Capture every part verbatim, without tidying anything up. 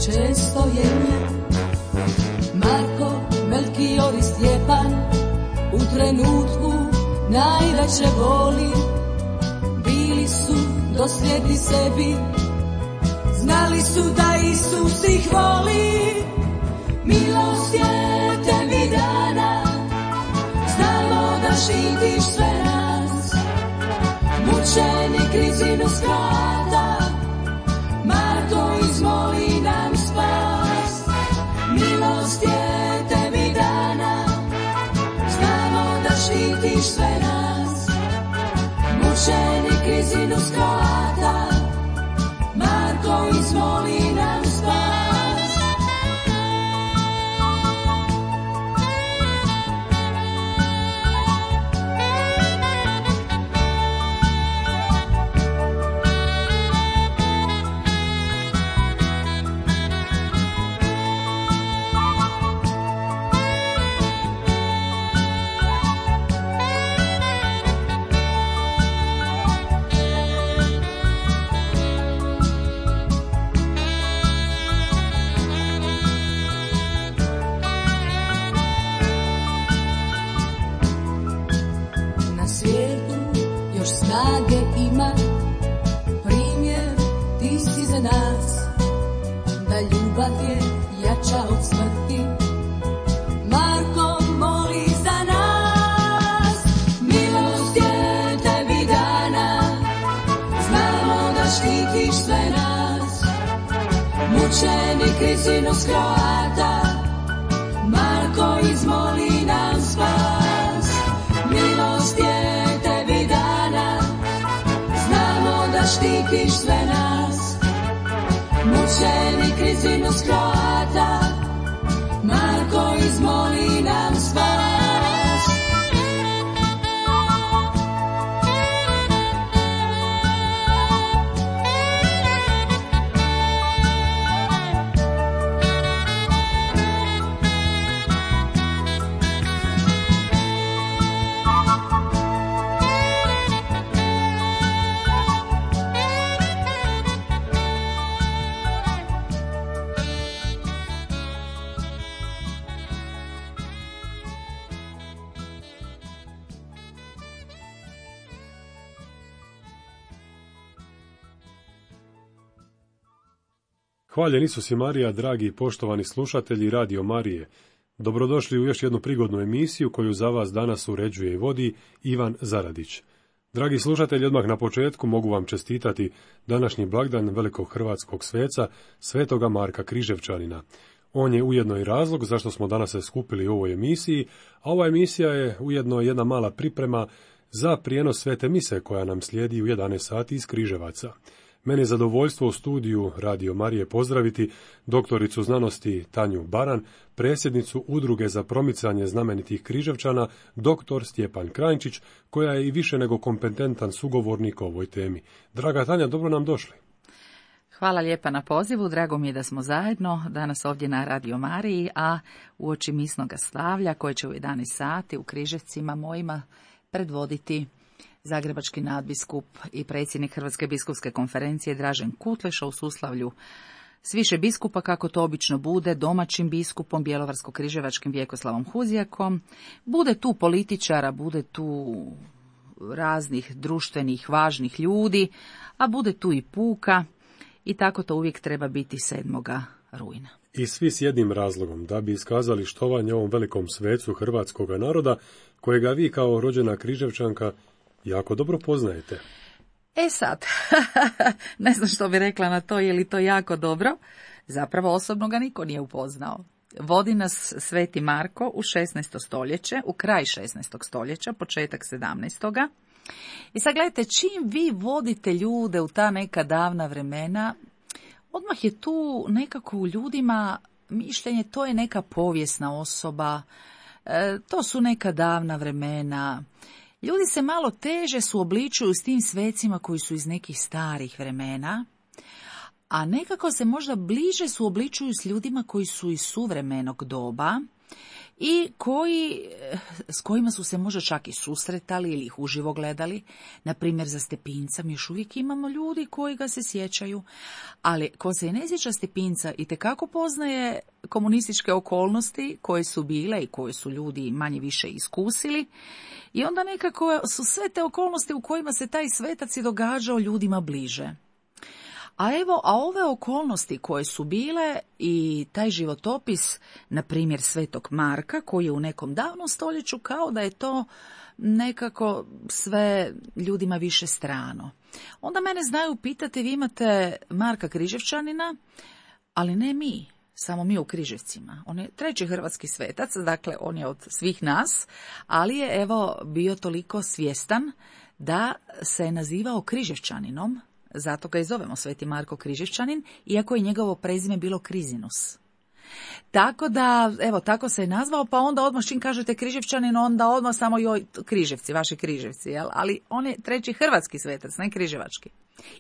često je nje. Marko, Melkior i Stjepan u trenutku najveće boli bili su dosljedni sebi, znali su da Isus ih voli. Milost je tebi dana, znamo da štitiš sve nas. Mučenik rizinu skrata, Marko izmoli nam spas. Milost je tebi dana, znamo da štitiš sve nas. Mučenik rizinu skrata, Marko izmoli nam spas. Rizinu skrata, Marko izmoli nam spas. Milost je tebi dana, znamo da štitiš sve nas. Mučenik rizinu skrata, Marko izmoli nam spas. Hvaljen Isus i Marija, dragi i poštovani slušatelji Radio Marije. Dobrodošli u još jednu prigodnu emisiju koju za vas danas uređuje i vodi Ivan Zaradić. Dragi slušatelji, odmah na početku mogu vam čestitati današnji blagdan velikog hrvatskog sveca, svetoga Marka Križevčanina. On je ujedno i razlog zašto smo danas se skupili u ovoj emisiji, a ova emisija je ujedno jedna mala priprema za prijenos svete mise koja nam slijedi u jedanaest sati iz Križevaca. Meni je zadovoljstvo u studiju Radio Marije pozdraviti doktoricu znanosti Tanju Baran, predsjednicu Udruge za promicanje znamenitih Križevčana, doktor Stjepan Krajnčić, koja je i više nego kompetentan sugovornik o ovoj temi. Draga Tanja, dobro nam došli. Hvala lijepa na pozivu, drago mi je da smo zajedno danas ovdje na Radio Mariji, a uoči misnoga slavlja koje će u jedanaest sati u Križevcima mojima predvoditi zagrebački nadbiskup i predsjednik Hrvatske biskupske konferencije Dražen Kutleša u suslavlju s više biskupa, kako to obično bude, domaćim biskupom bjelovarsko-križevačkim Vjekoslavom Huzijakom. Bude tu političara, bude tu raznih društvenih važnih ljudi, a bude tu i puka i tako to uvijek treba biti sedmoga rujna. I svi s jednim razlogom, da bi iskazali štovanje ovom velikom svecu hrvatskoga naroda, kojega vi kao rođena Križevčanka jako dobro poznajete. E sad, ne znam što bi rekla na to, je li to jako dobro. Zapravo osobno ga niko nije upoznao. Vodi nas sveti Marko u šesnaesto stoljeće, u kraj šesnaestog stoljeća, početak sedamnaestog. I sad gledajte, čim vi vodite ljude u ta neka davna vremena, odmah je tu nekako u ljudima mišljenje, to je neka povijesna osoba, e, to su neka davna vremena. Ljudi se malo teže suobličuju s tim svecima koji su iz nekih starih vremena, a nekako se možda bliže suobličuju s ljudima koji su iz suvremenog doba i koji, s kojima su se možda čak i susretali ili ih uživo gledali. Na primjer, za Stepinca mi još uvijek imamo ljudi koji ga se sjećaju, ali ko se ne sjeća Stepinca itekako poznaje komunističke okolnosti koje su bile i koje su ljudi manje više iskusili. I onda nekako su sve te okolnosti u kojima se taj svetac i događao ljudima bliže. A evo, a ove okolnosti koje su bile i taj životopis, na primjer Svetog Marka, koji je u nekom davnom stoljeću, kao da je to nekako sve ljudima više strano. Onda mene znaju pitati, vi imate Marka Križevčanina, ali ne mi. Samo mi u Križevcima. On je treći hrvatski svetac, dakle on je od svih nas, ali je evo bio toliko svjestan da se je nazivao Križevčaninom, zato ga i zovemo Sveti Marko Križevčanin, iako je njegovo prezime bilo Krizinus. Tako da, evo, tako se je nazvao, pa onda odmah čim kažete Križevčanin, onda odmah samo joj, Križevci, vaši Križevci, jel? Ali on je treći hrvatski svetac, ne križevački.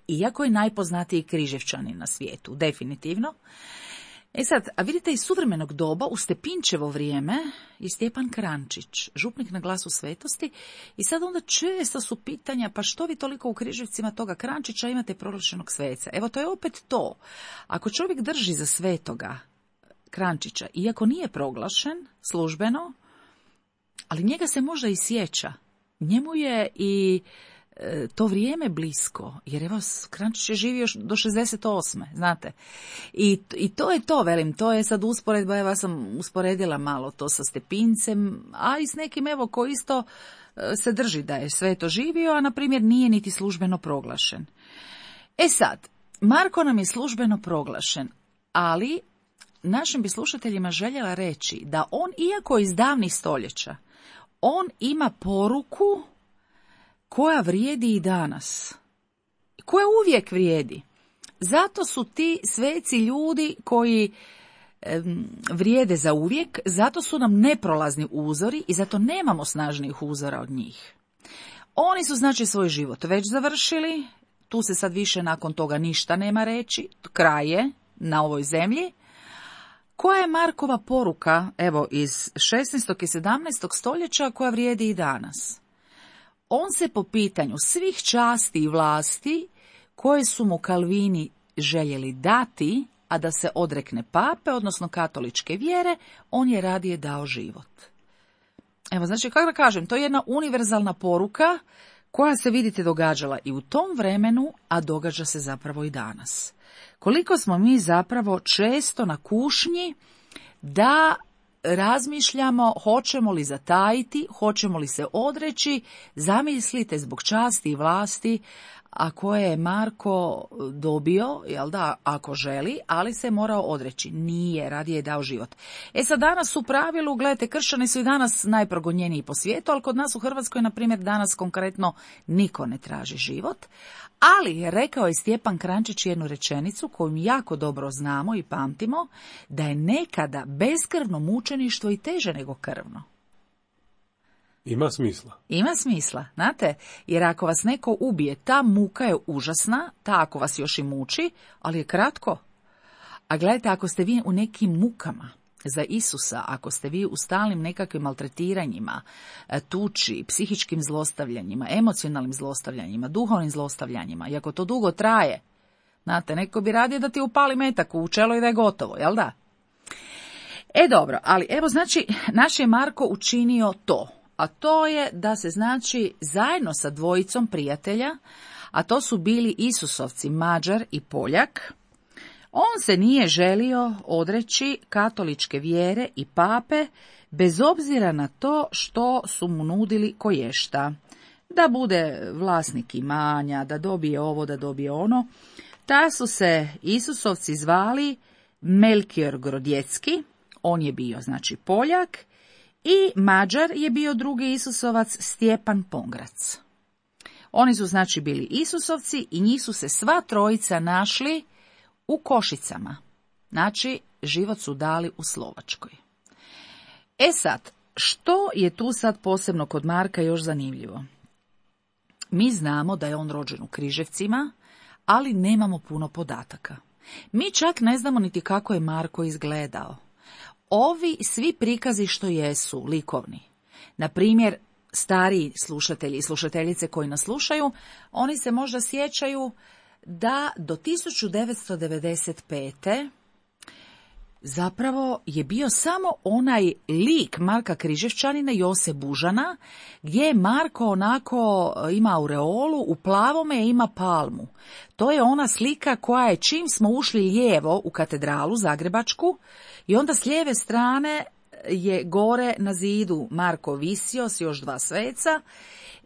Iako je najpoznatiji Križevčanin na svijetu, definitivno. E sad, a vidite, iz suvremenog doba u Stepinčevo vrijeme je Stjepan Krančić, župnik na Glasu svetosti, i sad onda često su pitanja, pa što vi toliko u Križevcima toga Krančića imate proglašenog sveca? Evo, to je opet to. Ako čovjek drži za svetoga Krančića, iako nije proglašen službeno, ali njega se možda i sjeća. Njemu je i e, to vrijeme blisko, jer evo, Krančić je živio do šezdeset osme, znate. I, I to je to, velim, to je sad usporedba, evo ja sam usporedila malo to sa Stepincem, a i s nekim, evo, ko isto e, se drži da je sve to živio, a na primjer nije niti službeno proglašen. E sad, Marko nam je službeno proglašen, ali našim bi slušateljima željela reći da on, iako iz davnih stoljeća, on ima poruku koja vrijedi i danas. Koja uvijek vrijedi. Zato su ti sveci ljudi koji em, vrijede za uvijek, zato su nam neprolazni uzori i zato nemamo snažnijih uzora od njih. Oni su znači svoj život već završili, tu se sad više nakon toga ništa nema reći, kraj je na ovoj zemlji. Koja je Markova poruka, evo, iz šesnaestog i sedamnaestog stoljeća, koja vrijedi i danas? On se po pitanju svih časti i vlasti koje su mu Kalvini željeli dati, a da se odrekne pape, odnosno katoličke vjere, on je radije dao život. Evo, znači, kako da kažem, to je jedna univerzalna poruka koja se, vidite, događala i u tom vremenu, a događa se zapravo i danas. Koliko smo mi zapravo često na kušnji da razmišljamo hoćemo li zatajiti, hoćemo li se odreći, zamislite zbog časti i vlasti, a koje je Marko dobio, jel da, ako želi, ali se morao odreći. Nije, radije je dao život. E sad, danas u pravilu, gledajte, kršćani su i danas najprogonjeniji po svijetu, ali kod nas u Hrvatskoj, na primjer, danas konkretno niko ne traži život. Ali, rekao je Stjepan Krančić jednu rečenicu koju jako dobro znamo i pamtimo, da je nekada beskrvno mučeništvo i teže nego krvno. Ima smisla. Ima smisla, znate, jer ako vas neko ubije, ta muka je užasna, ta ako vas još i muči, ali je kratko. A gledajte, ako ste vi u nekim mukama za Isusa, ako ste vi u stalnim nekakvim maltretiranjima, tuči, psihičkim zlostavljanjima, emocionalnim zlostavljanjima, duhovnim zlostavljanjima, i ako to dugo traje, znate, neko bi radije da ti upali metak u čelo i da je gotovo, jel da? E dobro, ali evo, znači, naš je Marko učinio to. A to je da se, znači, zajedno sa dvojicom prijatelja, a to su bili Isusovci Mađar i Poljak, on se nije želio odreći katoličke vjere i pape, bez obzira na to što su mu nudili koješta. Da bude vlasnik imanja, da dobije ovo, da dobije ono. Ta su se Isusovci zvali Melkior Grodjecki, on je bio, znači, Poljak, i Mađar je bio drugi Isusovac, Stjepan Pongrac. Oni su, znači, bili Isusovci i njih su se sva trojica našli u Košicama. Znači, život su dali u Slovačkoj. E sad, što je tu sad posebno kod Marka još zanimljivo? Mi znamo da je on rođen u Križevcima, ali nemamo puno podataka. Mi čak ne znamo niti kako je Marko izgledao. ovi svi prikazi što jesu likovni, na primjer, stariji slušatelji i slušateljice koji nas slušaju, oni se možda sjećaju da do tisuću devetsto devedeset pete zapravo je bio samo onaj lik Marka Križevčanina, Jose Bužana, gdje je Marko onako ima aureolu, u plavome ima palmu. To je ona slika koja je čim smo ušli lijevo u katedralu Zagrebačku i onda s lijeve strane je gore na zidu Marko visio s još dva sveca.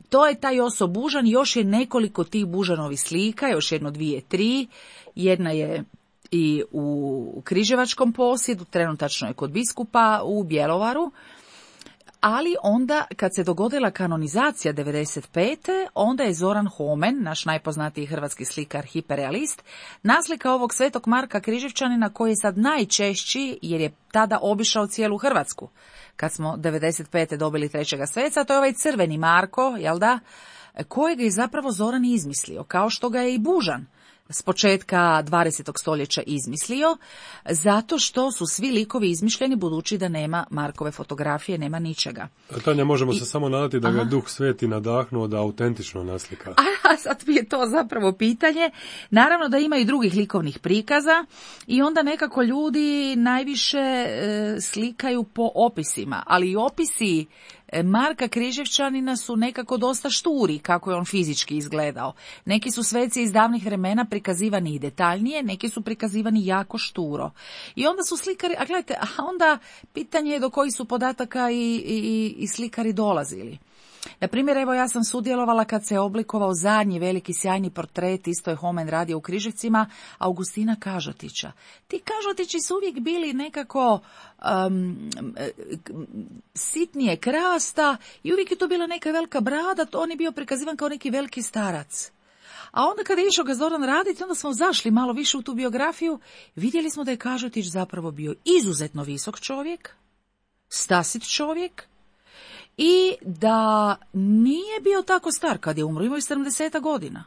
To je taj Joso Bužan, još je nekoliko tih Bužanovih slika, još jedno, dvije, tri. Jedna je i u Križevačkom posjedu, trenutačno je kod biskupa u Bjelovaru. Ali onda, kad se dogodila kanonizacija devedeset pete. onda je Zoran Homen, naš najpoznatiji hrvatski slikar, hiperrealist, naslika ovog svetog Marka Križevčanina, koji je sad najčešći, jer je tada obišao cijelu Hrvatsku. Kad smo devedeset pete dobili trećega sveca, to je ovaj crveni Marko, jel da, kojeg je zapravo Zoran izmislio, kao što ga je i Bužan s početka dvadesetog stoljeća izmislio, zato što su svi likovi izmišljeni, budući da nema Markove fotografije, nema ničega. Tanja, možemo I, se samo nadati da aha. ga Duh Sveti nadahnuo da autentično naslika. A sad mi je to zapravo pitanje. Naravno da ima i drugih likovnih prikaza i onda nekako ljudi najviše e, slikaju po opisima, ali i opisi Marka Križevčanina su nekako dosta šturi, kako je on fizički izgledao. Neki su sveci iz davnih vremena prikazivani i detaljnije, neki su prikazivani jako šturo. I onda su slikari, a gledajte, a onda pitanje je do kojih su podataka i, i, i slikari dolazili. Na primjer, evo ja sam sudjelovala kad se oblikovao zadnji veliki sjajni portret, isto je Homen radio u Križevcima, Augustina Kažotića. Ti Kažotići su uvijek bili nekako um, sitnije krasta i uvijek je to bila neka velika brada, on je bio prikazivan kao neki veliki starac. A onda kada je išao ga Zoran raditi, onda smo zašli malo više u tu biografiju, vidjeli smo da je Kažotić zapravo bio izuzetno visok čovjek, stasit čovjek, i da nije bio tako star kad je umro, imao je sedamdeset godina.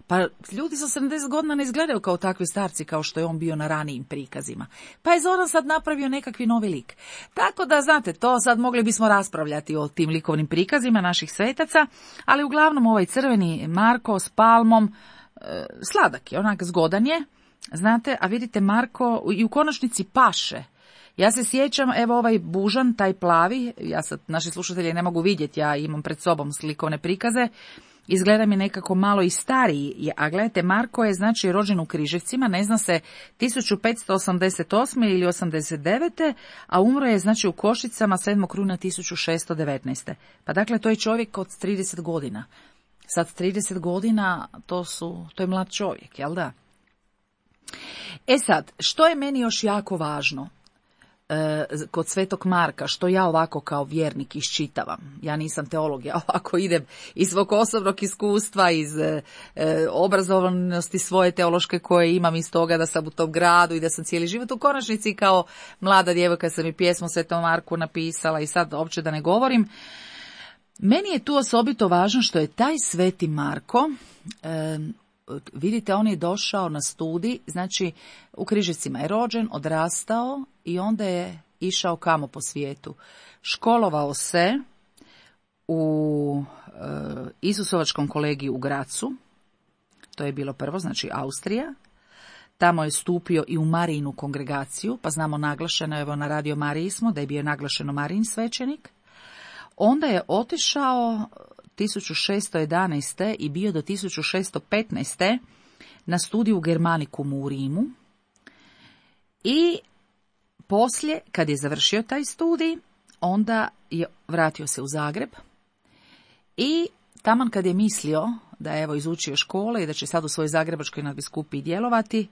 Pa ljudi sa sedamdeset godina ne izgledaju kao takvi starci kao što je on bio na ranijim prikazima. Pa je Zoran sad napravio nekakvi novi lik. Tako da, znate, to sad mogli bismo raspravljati o tim likovnim prikazima naših svetaca, ali uglavnom ovaj crveni Marko s palmom, e, sladak je, onak zgodan je, znate, a vidite Marko i u konačnici paše. Ja se sjećam, evo ovaj Bužan, taj plavi, ja sad, naši slušatelji ne mogu vidjeti, ja imam pred sobom slikovne prikaze, izgleda mi nekako malo i stariji, a gledajte, Marko je znači rođen u Križevcima, ne zna se tisuću petsto osamdeset osme ili osamdeset devete. a umro je znači u Košicama sedmog rujna tisuću šesto devetnaeste. Pa dakle, to je čovjek od trideset godina. Sad trideset godina, to su, to je mlad čovjek, jel da? E sad, što je meni još jako važno kod Svetog Marka, što ja ovako kao vjernik iščitavam. Ja nisam teolog, ja ovako idem iz svog osobnog iskustva, iz e, obrazovanosti svoje teološke koje imam iz toga da sam u tom gradu i da sam cijeli život u konačnici kao mlada djevojka sam i pjesmu Svetom Marku napisala i sad uopće da ne govorim. Meni je tu osobito važno što je taj Sveti Marko, e, vidite, on je došao na studij, znači u Križevcima je rođen, odrastao i onda je išao kamo po svijetu. Školovao se u e, Isusovačkom kolegiju u Gracu, to je bilo prvo, znači Austrija. Tamo je stupio i u Marijinu kongregaciju, pa znamo naglašeno, evo na Radio Mariji smo, da je bio naglašeno Marijin svećenik. Onda je otišao tisuću šesto jedanaeste. i bio do tisuću šesto petnaeste. na studiju u Germanikumu u Rimu. I poslije, kad je završio taj studij, onda je vratio se u Zagreb i taman kad je mislio da je evo izučio škole i da će sad u svojoj zagrebačkoj nadbiskupiji djelovati,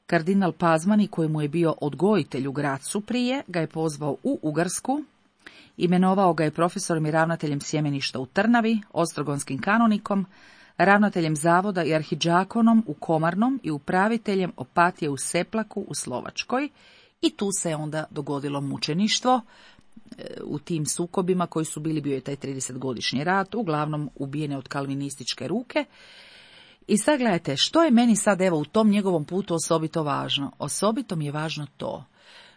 kardinal Pazmani, koji mu je bio odgojitelj u Gracu prije, ga je pozvao u Ugarsku. Imenovao ga je profesorom i ravnateljem sjemeništa u Trnavi, ostrogonskim kanonikom, ravnateljem zavoda i arhidžakonom u Komarnom i upraviteljem opatije u Seplaku u Slovačkoj. I tu se onda dogodilo mučeništvo u tim sukobima koji su bili, bio je taj tridesetgodišnji rat, uglavnom ubijene od kalvinističke ruke. I sad gledajte, što je meni sad evo u tom njegovom putu osobito važno? Osobito mi je važno to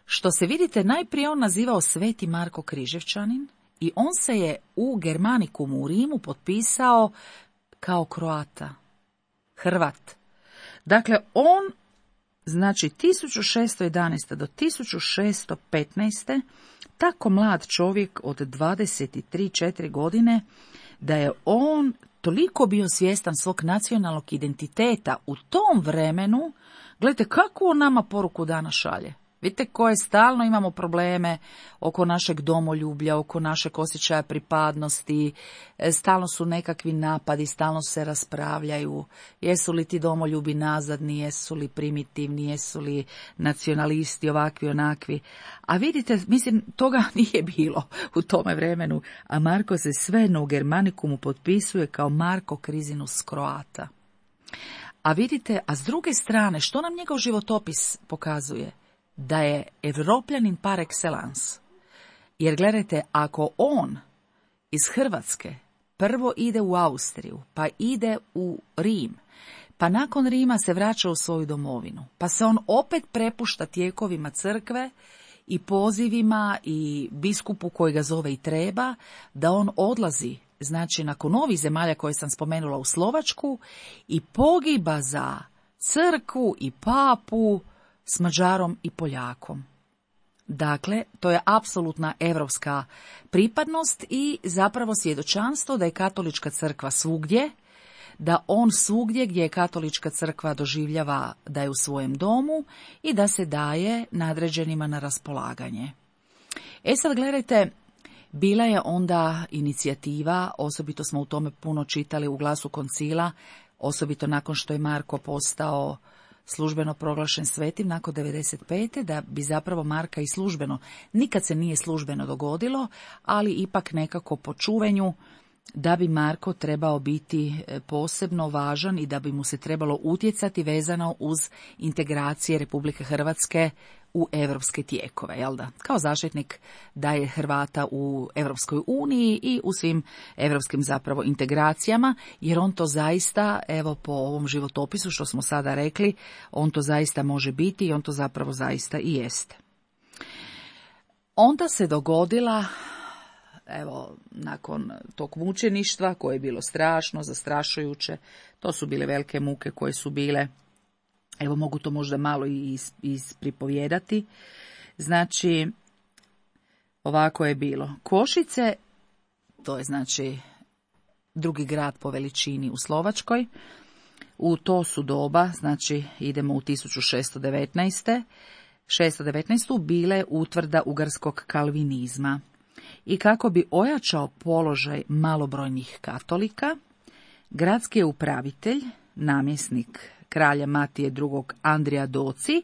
što se vidite najprije on nazivao Sveti Marko Križevčanin i on se je u Germanikumu u Rimu potpisao kao Kroata, Hrvat. Dakle, on, znači tisuću šesto jedanaeste do tisuću šesto petnaeste tako mlad čovjek od dvadeset tri četiri godine, da je on toliko bio svjestan svog nacionalnog identiteta u tom vremenu. Gledajte, kakvu on nama poruku danas šalje. Vidite koje stalno imamo probleme oko našeg domoljublja, oko našeg osjećaja pripadnosti, stalno su nekakvi napadi, stalno se raspravljaju, jesu li ti domoljubi nazadni, jesu li primitivni, jesu li nacionalisti ovakvi, onakvi. A vidite, mislim, toga nije bilo u tome vremenu, a Marko se svejedno u Germanikumu potpisuje kao Marko Krizinus Kroata. A vidite, a s druge strane, što nam njegov životopis pokazuje? Da je Evropljanin par excellence. Jer gledajte, ako on iz Hrvatske prvo ide u Austriju, pa ide u Rim, pa nakon Rima se vraća u svoju domovinu, pa se on opet prepušta tijekovima crkve i pozivima i biskupu koji ga zove i treba, da on odlazi, znači nakon ovih zemalja koje sam spomenula, u Slovačku i pogiba za crkvu i papu s Mađarom i Poljakom. Dakle, to je apsolutna europska pripadnost i zapravo svjedočanstvo da je katolička crkva svugdje, da on svugdje gdje je katolička crkva doživljava da je u svojem domu i da se daje nadređenima na raspolaganje. E sad gledajte, bila je onda inicijativa, osobito smo u tome puno čitali u Glasu koncila, osobito nakon što je Marko postao službeno proglašen svetim nakon devedeset pete da bi zapravo Marka i službeno, nikad se nije službeno dogodilo, ali ipak nekako po čuvenju da bi Marko trebao biti posebno važan i da bi mu se trebalo utjecati vezano uz integracije Republike Hrvatske u europske tijekove, jel da? Kao zaštitnik da je Hrvata u Europskoj uniji i u svim europskim zapravo integracijama, jer on to zaista, evo po ovom životopisu što smo sada rekli, on to zaista može biti i on to zapravo zaista i jeste. Onda se dogodila, evo, nakon tog mučeništva koje je bilo strašno, zastrašujuće, to su bile velike muke koje su bile, evo mogu to možda malo i ispripovijedati. Znači, ovako je bilo. Košice, to je znači drugi grad po veličini u Slovačkoj, u to su doba, znači idemo u tisuću šesto devetnaeste. šesto devetnaestu bile utvrda ugarskog kalvinizma. I kako bi ojačao položaj malobrojnih katolika, gradski je upravitelj, namjesnik kralja Matije drugog. Andrija Doci,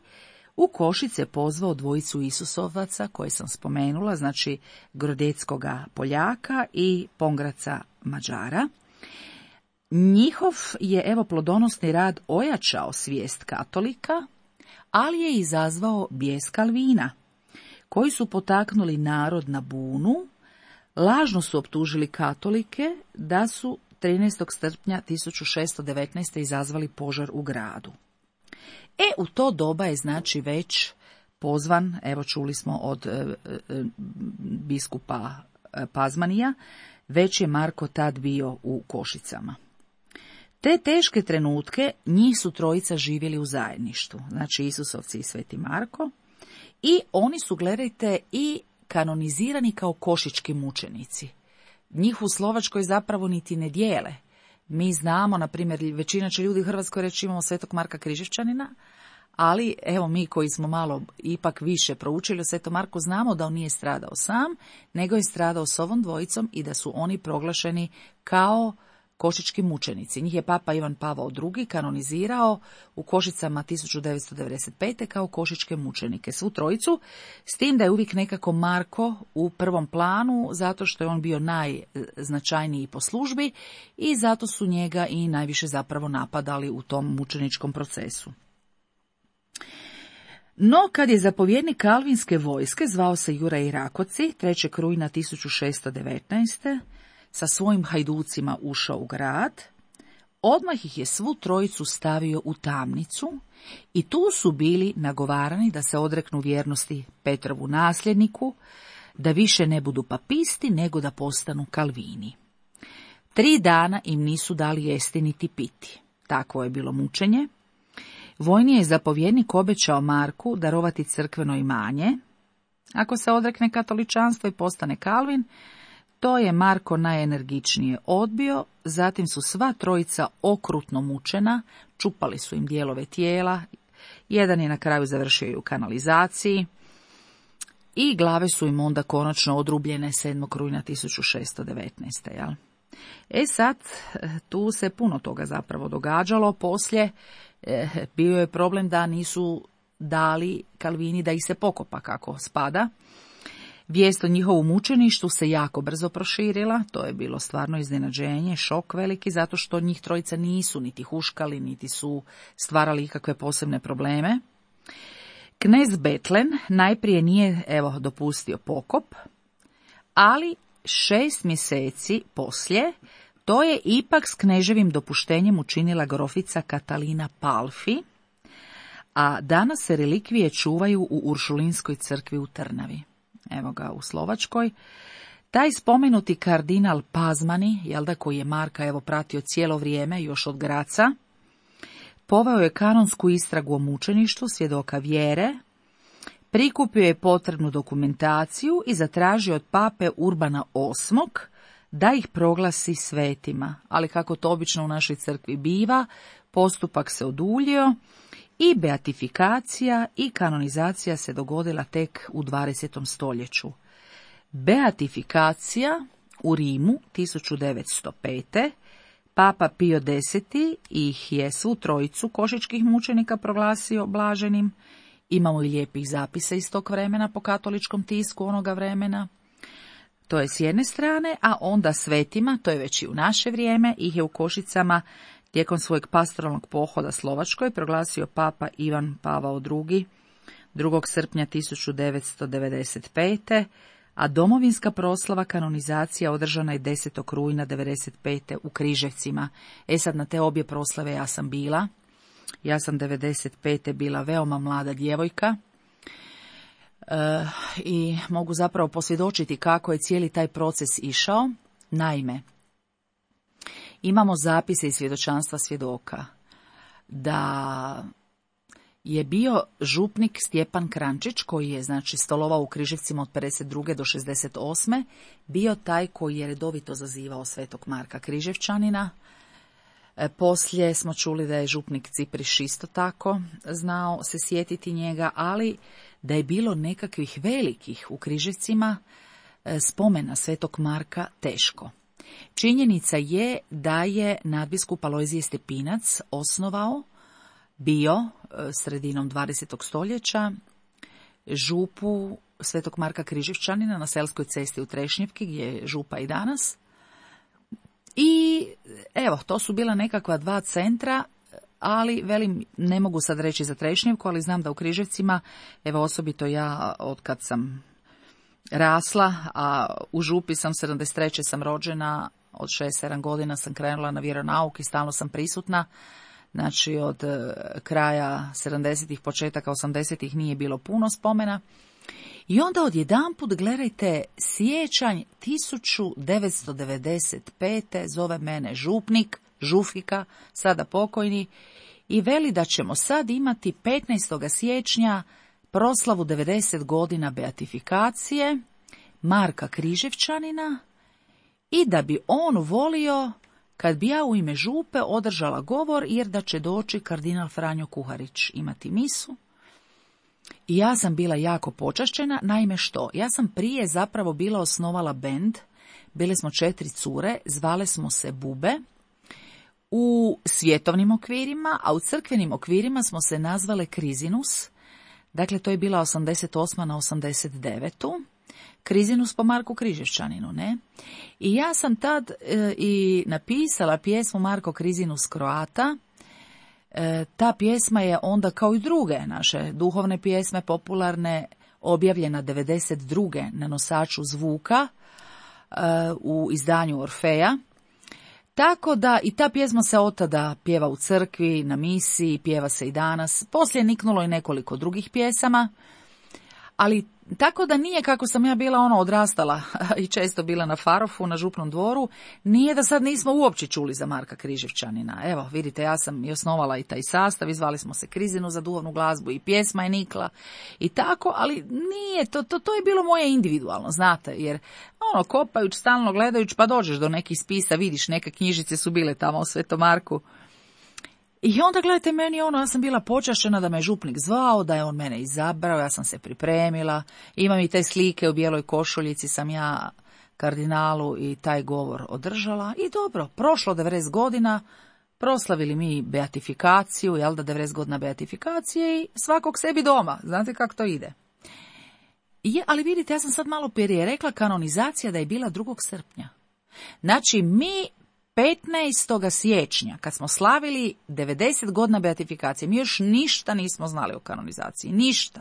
u Košice pozvao dvojicu Isusovaca koje sam spomenula, znači Grodeckoga Poljaka i Pongraca Mađara. Njihov je evo plodonosni rad ojačao svijest katolika, ali je izazvao bijes Kalvina, koji su potaknuli narod na bunu, lažno su optužili katolike da su trinaestog srpnja tisuću šesto devetnaeste. izazvali požar u gradu. E, u to doba je znači već pozvan, evo čuli smo od e, e, biskupa e, Pazmanija, već je Marko tad bio u Košicama. Te teške trenutke njih su trojica živjeli u zajedništvu, znači Isusovci i Sveti Marko, i oni su, gledajte, i kanonizirani kao košički mučenici. Njih u Slovačkoj zapravo niti ne dijele. Mi znamo, na primjer, većina će ljudi u Hrvatskoj reći imamo Svetog Marka Križevčanina, ali evo mi koji smo malo ipak više proučili o Svetom Marku znamo da on nije stradao sam, nego je stradao s ovom dvojicom i da su oni proglašeni kao košički mučenici. Njih je Papa Ivan Pavao drugi kanonizirao u Košicama tisuću devetsto devedeset pete. kao košičke mučenike. Svu trojicu, s tim da je uvijek nekako Marko u prvom planu, zato što je on bio najznačajniji po službi i zato su njega i najviše zapravo napadali u tom mučeničkom procesu. No, kad je zapovjednik kalvinske vojske, zvao se Juraj Rakoci, trećeg rujna tisuću šesto devetnaeste. sa svojim hajducima ušao u grad, odmah ih je svu trojicu stavio u tamnicu i tu su bili nagovarani da se odreknu vjernosti Petrovu nasljedniku, da više ne budu papisti, nego da postanu Kalvini. Tri dana im nisu dali jesti niti piti. Takvo je bilo mučenje. Vojni je zapovjednik obećao Marku darovati crkveno imanje. Ako se odrekne katoličanstva i postane Kalvin, to je Marko najenergičnije odbio, zatim su sva trojica okrutno mučena, čupali su im dijelove tijela, jedan je na kraju završio i u kanalizaciji i glave su im onda konačno odrubljene sedmog rujna tisuću šesto devetnaeste. Jel? E sad, tu se puno toga zapravo događalo, poslije eh, bio je problem da nisu dali Kalvini da ih se pokopa kako spada. Vijest o njihovu mučeništvu se jako brzo proširila, to je bilo stvarno iznenađenje, šok veliki, zato što njih trojica nisu niti huškali, niti su stvarali ikakve posebne probleme. Knez Betlen najprije nije, evo, dopustio pokop, ali šest mjeseci poslije to je ipak s kneževim dopuštenjem učinila grofica Katalina Palfi, a danas se relikvije čuvaju u Uršulinskoj crkvi u Trnavi. Evo ga u Slovačkoj. Taj spomenuti kardinal Pazmani, jel da, koji je Marka evo pratio cijelo vrijeme, još od Graca, poveo je kanonsku istragu o mučeništvu svjedoka vjere, prikupio je potrebnu dokumentaciju i zatražio od pape Urbana osmog da ih proglasi svetima, ali kako to obično u našoj crkvi biva, postupak se oduljio i beatifikacija i kanonizacija se dogodila tek u dvadesetom stoljeću. Beatifikacija u Rimu tisuću devetsto pete. Papa Pio deseti ih je svu trojicu košičkih mučenika proglasio blaženim. Imamo i lijepih zapisa iz tog vremena po katoličkom tisku onoga vremena. To je s jedne strane, a onda svetima, to je već i u naše vrijeme, ih je u Košicama tijekom svojeg pastoralnog pohoda Slovačkoj proglasio papa Ivan Pavao drugi. drugog srpnja tisuću devetsto devedeset pete. a domovinska proslava kanonizacija održana je desetog rujna devedeset pete u Križevcima. E sad, na te obje proslave ja sam bila. Ja sam devedeset pete bila veoma mlada djevojka. E, I mogu zapravo posvjedočiti kako je cijeli taj proces išao. Naime, imamo zapise iz svjedočanstva svjedoka da je bio župnik Stjepan Krančić, koji je znači stolovao u Križevcima od pedeset druge do šezdeset osme, bio taj koji je redovito zazivao svetog Marka Križevčanina. E, poslije smo čuli da je župnik Cipriš isto tako znao se sjetiti njega, ali da je bilo nekakvih velikih u Križevcima e, spomena svetog Marka teško. Činjenica je da je nadbiskup Alojzije Stepinac osnovao bio sredinom dvadesetog stoljeća župu svetog Marka Križevčanina na Selskoj cesti u Trešnjevki, gdje je župa i danas. I evo, to su bila nekakva dva centra, ali velim, ne mogu sad reći za Trešnjevku, ali znam da u Križevcima, evo osobito ja od kad sam rasla, a u župi sam sedamdeset treće sam rođena, od šest sedam godina sam krenula na vjeronauk i stalno sam prisutna. Znači od kraja sedamdesetih, početaka osamdesetih nije bilo puno spomena. I onda odjedanput, gledajte, siječanj tisuću devetsto devedeset pete zove mene župnik, žufika, sada pokojni, i veli da ćemo sad imati petnaestog siječnja proslavu devedeset godina beatifikacije Marka Križevčanina i da bi on volio kad bi ja u ime župe održala govor, jer da će doći kardinal Franjo Kuharić imati misu. I ja sam bila jako počašćena, naime što? Ja sam prije zapravo bila osnovala bend, bile smo četiri cure, zvale smo se Bube, u svjetovnim okvirima, a u crkvenim okvirima smo se nazvale Krizinus, dakle to je bila osamdeset osma na osamdeset devetu Krizinus po Marku Križevčaninu, ne? I ja sam tad e, i napisala pjesmu Marko Krizinus Croata. E, ta pjesma je onda, kao i druge naše duhovne pjesme, popularne, objavljena devedeset druge na nosaču zvuka e, u izdanju Orfeja. Tako da i ta pjesma se od tada pjeva u crkvi, na misiji, pjeva se i danas. Poslije je niknulo i nekoliko drugih pjesama, ali tako da nije kako sam ja bila ono odrastala i često bila na Farofu, na Župnom dvoru, nije da sad nismo uopće čuli za Marka Križevčanina. Evo, vidite, ja sam i osnovala i taj sastav, izvali smo se Krizinu za duhovnu glazbu i pjesma je nikla i tako, ali nije, to, to, to je bilo moje individualno, znate, jer ono, kopajući, stalno gledajući, pa dođeš do nekih spisa, vidiš, neke knjižice su bile tamo u Svetom Marku. I onda, gledajte, meni ono, ja sam bila počašena da me župnik zvao, da je on mene izabrao, ja sam se pripremila, imam i te slike u bijeloj košuljici, sam ja kardinalu i taj govor održala. I dobro, prošlo devedeset godina, proslavili mi beatifikaciju, jel da, devedeset godina beatifikacije i svakog sebi doma, znate kako to ide. Je, ali vidite, ja sam sad malo prije rekla kanonizacija da je bila drugog srpnja. Znači, mi petnaestog siječnja, kad smo slavili devedeset godina beatifikacije, mi još ništa nismo znali o kanonizaciji, ništa.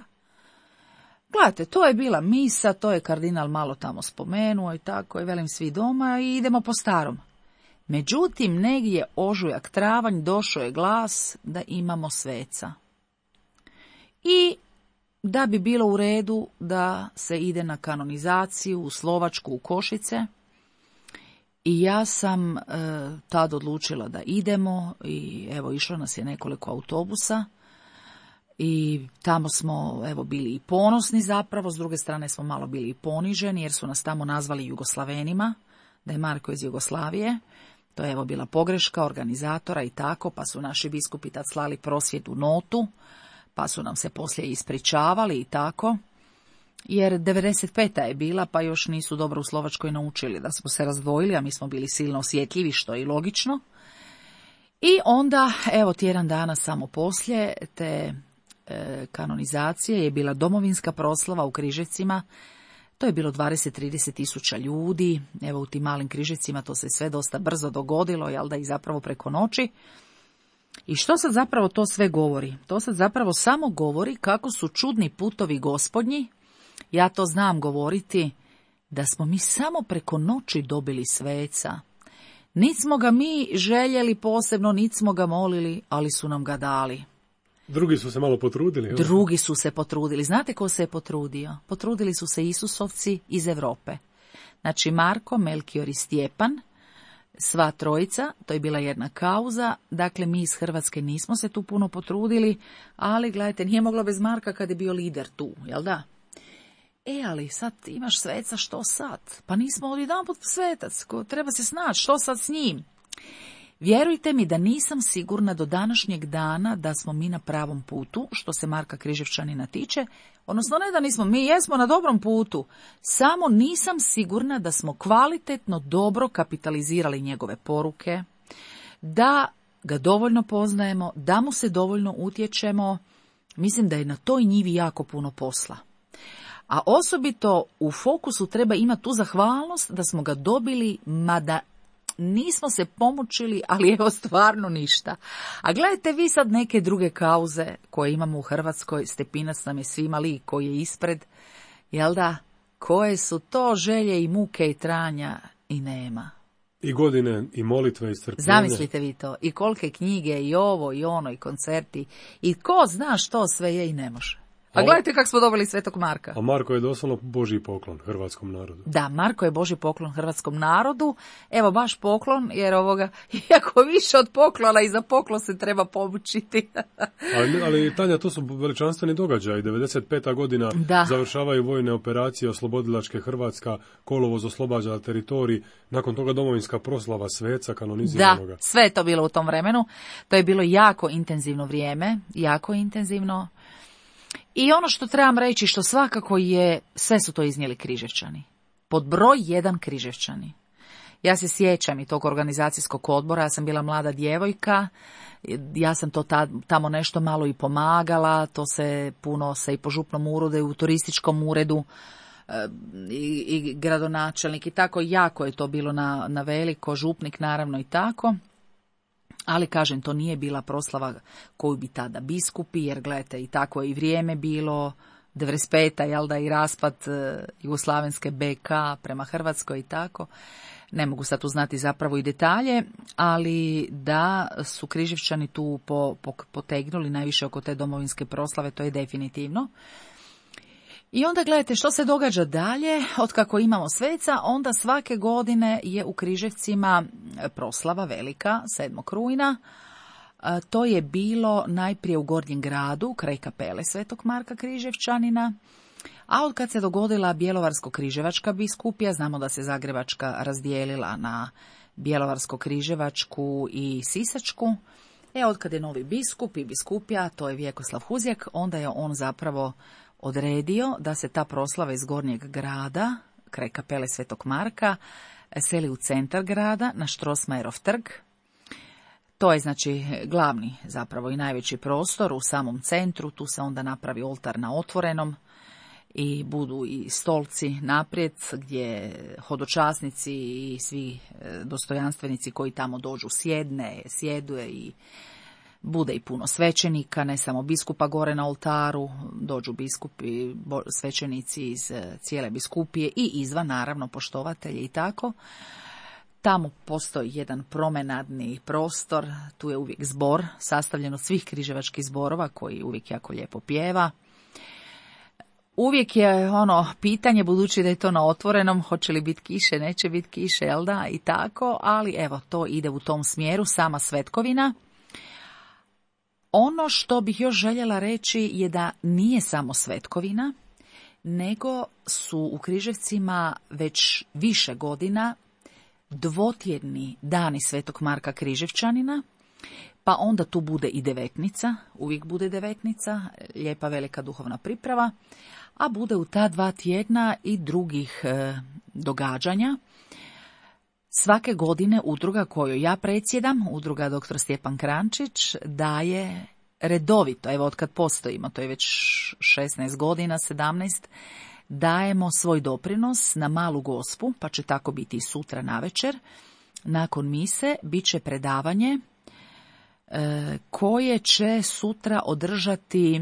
Gledajte, to je bila misa, to je kardinal malo tamo spomenuo i tako, i velim svi doma i idemo po starom. Međutim, negdje ožujak, travanj, došao je glas da imamo sveca. I da bi bilo u redu da se ide na kanonizaciju u Slovačku, u Košice. I ja sam e, tad odlučila da idemo i evo išlo nas je nekoliko autobusa i tamo smo evo bili i ponosni zapravo, s druge strane smo malo bili i poniženi jer su nas tamo nazvali Jugoslavenima, da je Marko iz Jugoslavije. To je evo bila pogreška organizatora i tako, pa su naši biskupi tad slali prosvjednu notu, pa su nam se poslije ispričavali i tako. Jer devedeset peta je bila, pa još nisu dobro u Slovačkoj naučili da smo se razdvojili, a mi smo bili silno osjetljivi, što je i logično. I onda, evo, tjedan dana samo poslije te e, kanonizacije je bila domovinska proslava u Križevcima. To je bilo dvadeset do trideset tisuća ljudi. Evo, u tim malim Križevcima to se sve dosta brzo dogodilo, jel da, i zapravo preko noći. I što sad zapravo to sve govori? To sad zapravo samo govori kako su čudni putovi Gospodnji. Ja to znam govoriti, da smo mi samo preko noći dobili sveca. Nit smo ga mi željeli posebno, nit smo ga molili, ali su nam ga dali. Drugi su se malo potrudili. Evo. Drugi su se potrudili. Znate ko se je potrudio? Potrudili su se Isusovci iz Europe. Znači Marko, Melkior i Stjepan, sva trojica, to je bila jedna kauza. Dakle, mi iz Hrvatske nismo se tu puno potrudili, ali gledajte, nije moglo bez Marka kad je bio lider tu, jel da? E, ali sad imaš sveca, što sad? Pa nismo odjedanput svetac, treba se snaći, što sad s njim? Vjerujte mi da nisam sigurna do današnjeg dana da smo mi na pravom putu, što se Marka Križevčanina tiče, odnosno ne da nismo, mi jesmo na dobrom putu, samo nisam sigurna da smo kvalitetno dobro kapitalizirali njegove poruke, da ga dovoljno poznajemo, da mu se dovoljno utječemo. Mislim da je na toj njivi jako puno posla. A osobito u fokusu treba imati tu zahvalnost da smo ga dobili, mada nismo se pomučili, ali evo stvarno ništa. A gledajte vi sad neke druge kauze koje imamo u Hrvatskoj, Stepinac nam je svima lik koji je ispred, jel da, koje su to želje i muke i tranja i nema. I godine, i molitve, i strpljenje. Zamislite vi to, i kolike knjige, i ovo, i ono, i koncerti, i ko zna što sve je i ne može. A gledajte kako smo dobili Svetog Marka. A Marko je doslovno Božji poklon hrvatskom narodu. Da, Marko je Božji poklon hrvatskom narodu. Evo baš poklon, jer ovoga, iako više od poklona i za poklon se treba pomučiti. ali, ali Tanja, to su veličanstveni događaji. devedeset peta godina da. Završavaju vojne operacije, oslobodilačke Hrvatska, kolovoz oslobađa teritorij, nakon toga domovinska proslava sveca kanoniziranoga. Da, sve je to bilo u tom vremenu. To je bilo jako intenzivno vrijeme, jako intenzivno. I ono što trebam reći, što svakako je, sve su to iznijeli Križevčani. Pod broj jedan Križevčani. Ja se sjećam i tog organizacijskog odbora, ja sam bila mlada djevojka, ja sam to tamo nešto malo i pomagala, to se puno se i po župnom uredu i u turističkom uredu i, i gradonačelnik i tako, jako je to bilo na, na veliko, župnik naravno i tako. Ali, kažem, to nije bila proslava koju bi tada biskupi, jer gledajte, i tako je i vrijeme bilo, devedeset peta, jel da, i raspad Jugoslavenske be ka prema Hrvatskoj i tako. Ne mogu sad uznati zapravo i detalje, ali da su Križevčani tu po, po, potegnuli najviše oko te domovinske proslave, to je definitivno. I onda gledajte što se događa dalje, otkako imamo sveca, onda svake godine je u Križevcima proslava velika, sedmog rujna. To je bilo najprije u Gornjem gradu, kraj kapele Svetog Marka Križevčanina, a od kad se dogodila Bjelovarsko-križevačka biskupija, znamo da se Zagrebačka razdijelila na Bjelovarsko-križevačku i Sisačku, e od kad je novi biskup i biskupija, to je Vjekoslav Huzjak, onda je on zapravo odredio da se ta proslava iz Gornjeg grada, kraj kapele Svetog Marka, seli u centar grada, na Strossmayerov trg. To je znači glavni zapravo i najveći prostor u samom centru, tu se onda napravi oltar na otvorenom i budu i stolci naprijed gdje hodočasnici i svi dostojanstvenici koji tamo dođu sjedne, sjeduje i bude i puno svećenika, ne samo biskupa gore na oltaru, dođu biskupi, svećenici iz cijele biskupije i izvan, naravno, poštovatelji i tako. Tamo postoji jedan promenadni prostor, tu je uvijek zbor, sastavljen od svih križevačkih zborova koji uvijek jako lijepo pjeva. Uvijek je ono pitanje, budući da je to na otvorenom, hoće li biti kiše, neće biti kiše, jel da, i tako, ali evo, to ide u tom smjeru, sama svetkovina. Ono što bih još željela reći je da nije samo svetkovina, nego su u Križevcima već više godina dvotjedni dani Svetog Marka Križevčanina, pa onda tu bude i devetnica, uvijek bude devetnica, lijepa velika duhovna priprava, a bude u ta dva tjedna i drugih e, događanja. Svake godine udruga koju ja predsjedam, udruga doktor Stjepan Krančić, daje redovito, evo od kad postojimo, to je već šesnaest godina, sedamnaest, dajemo svoj doprinos na Malu Gospu, pa će tako biti i sutra navečer. Nakon mise bit će predavanje e, koje će sutra održati e,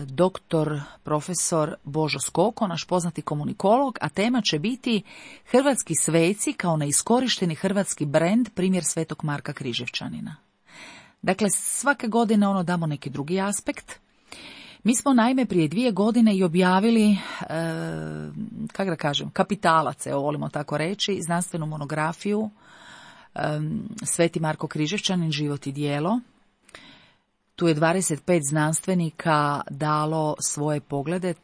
doktor profesor Božo Skoko, naš poznati komunikolog, a tema će biti Hrvatski sveci kao neiskorišteni hrvatski brend, primjer Svetog Marka Križevčanina. Dakle, svake godine ono damo neki drugi aspekt. Mi smo naime prije dvije godine i objavili, e, kako da kažem, kapitalac, evo volimo tako reći, znanstvenu monografiju e, Sveti Marko Križevčanin, život i djelo. Tu je dvadeset pet znanstvenika dalo svoje poglede,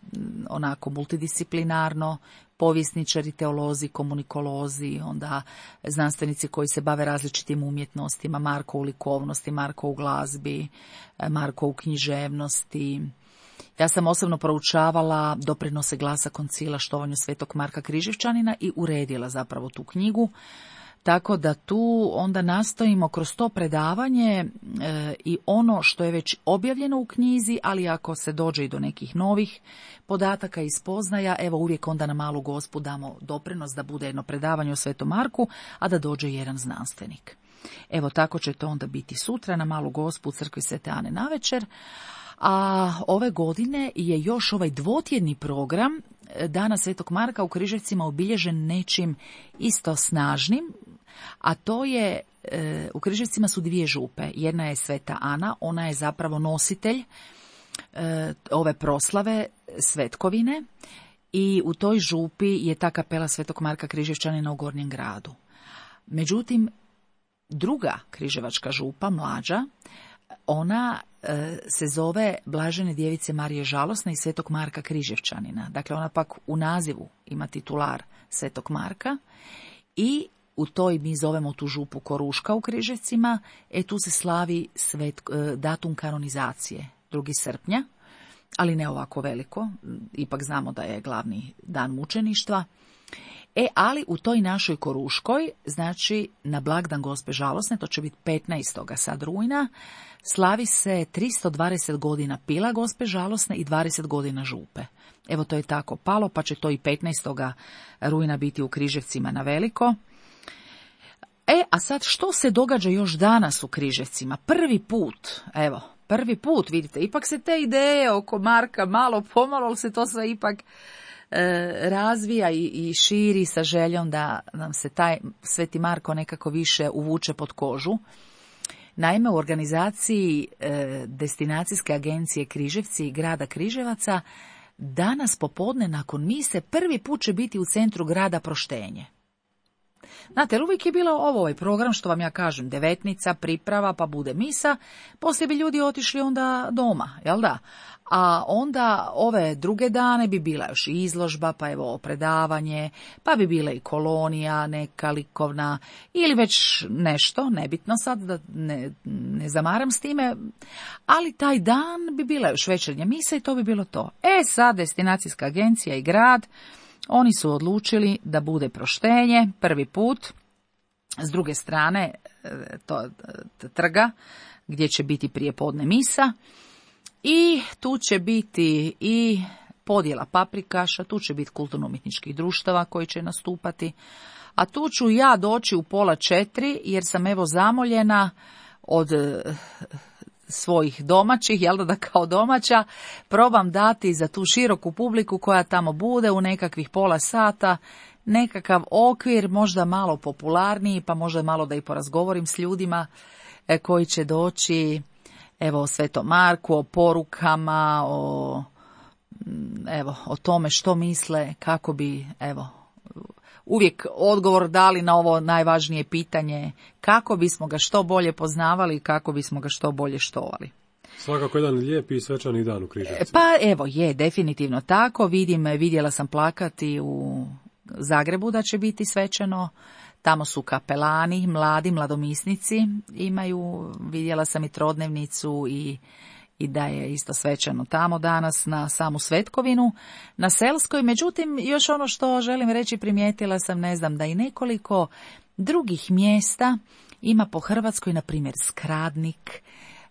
onako multidisciplinarno, povjesničari, teolozi, komunikolozi, onda znanstvenici koji se bave različitim umjetnostima, Marko u likovnosti, Marko u glazbi, Marko u književnosti. Ja sam osobno proučavala doprinose Glasa koncila štovanju Svetog Marka Križevčanina i uredila zapravo tu knjigu. Tako da tu onda nastojimo kroz to predavanje e, i ono što je već objavljeno u knjizi, ali ako se dođe i do nekih novih podataka i spoznaja, evo uvijek onda na Malu Gospu damo doprinos da bude jedno predavanje o Svetom Marku, a da dođe jedan znanstvenik. Evo tako će to onda biti sutra na Malu Gospu u crkvi Svete Ane navečer. A ove godine je još ovaj dvotjedni program Dana Svetog Marka u Križevcima obilježen nečim isto snažnim, a to je, e, u Križevcima su dvije župe. Jedna je Sveta Ana, ona je zapravo nositelj e, ove proslave svetkovine i u toj župi je ta kapela Svetog Marka Križevčanina u Gornjem gradu. Međutim, druga križevačka župa, mlađa, ona e, se zove Blažene djevice Marije Žalosne i Svetog Marka Križevčanina. Dakle, ona pak u nazivu ima titular Svetog Marka i u toj mi zovemo tu župu Koruška u Križevcima, e tu se slavi svet, e, datum kanonizacije, drugi srpnja, ali ne ovako veliko, ipak znamo da je glavni dan mučeništva. E, ali u toj našoj Koruškoj, znači na blagdan Gospe Žalosne, to će biti petnaestog sad rujna, slavi se tristo dvadeset godina pila Gospe Žalosne i dvadeset godina župe. Evo to je tako palo, pa će to i petnaestog rujna biti u Križevcima na veliko. E, a sad što se događa još danas u Križevcima? Prvi put, evo, prvi put, vidite, ipak se te ideje oko Marka malo pomalo se to sve ipak e, razvija i, i širi sa željom da nam se taj Sveti Marko nekako više uvuče pod kožu. Naime, u organizaciji e, destinacijske agencije Križevci i grada Križevaca danas popodne nakon mise prvi put će biti u centru grada proštenje. Znate, jer uvijek je bilo ovo ovaj program, što vam ja kažem, devetnica, priprava, pa bude misa, poslije bi ljudi otišli onda doma, jel da? A onda ove druge dane bi bila još izložba, pa evo predavanje, pa bi bila i kolonija neka likovna, ili već nešto, nebitno sad, da ne, ne zamaram s time, ali taj dan bi bila još večernja misa i to bi bilo to. E sad, destinacijska agencija i grad, oni su odlučili da bude proštenje prvi put, s druge strane to, trga gdje će biti prijepodne misa i tu će biti i podjela paprikaša, tu će biti kulturno-umjetničkih društava koji će nastupati, a tu ću ja doći u pola četiri jer sam evo zamoljena od svojih domaćih, jel da, da kao domaća probam dati za tu široku publiku koja tamo bude u nekakvih pola sata nekakav okvir, možda malo popularniji, pa možda malo da i porazgovorim s ljudima e, koji će doći, evo o Svetom Marku, o porukama, o, evo, o tome što misle, kako bi, evo, uvijek odgovor dali na ovo najvažnije pitanje, kako bismo ga što bolje poznavali i kako bismo ga što bolje štovali. Svakako jedan lijepi i svečani dan u Križevcima. Pa evo je, definitivno tako. Vidim, vidjela sam plakati u Zagrebu da će biti svečano. Tamo su kapelani, mladi, mladomisnici imaju, vidjela sam i trodnevnicu i i da je isto svečano tamo danas na samu Svetkovinu, na Selskoj. Međutim, još ono što želim reći, primijetila sam, ne znam, da i nekoliko drugih mjesta ima po Hrvatskoj, na primjer Skradnik,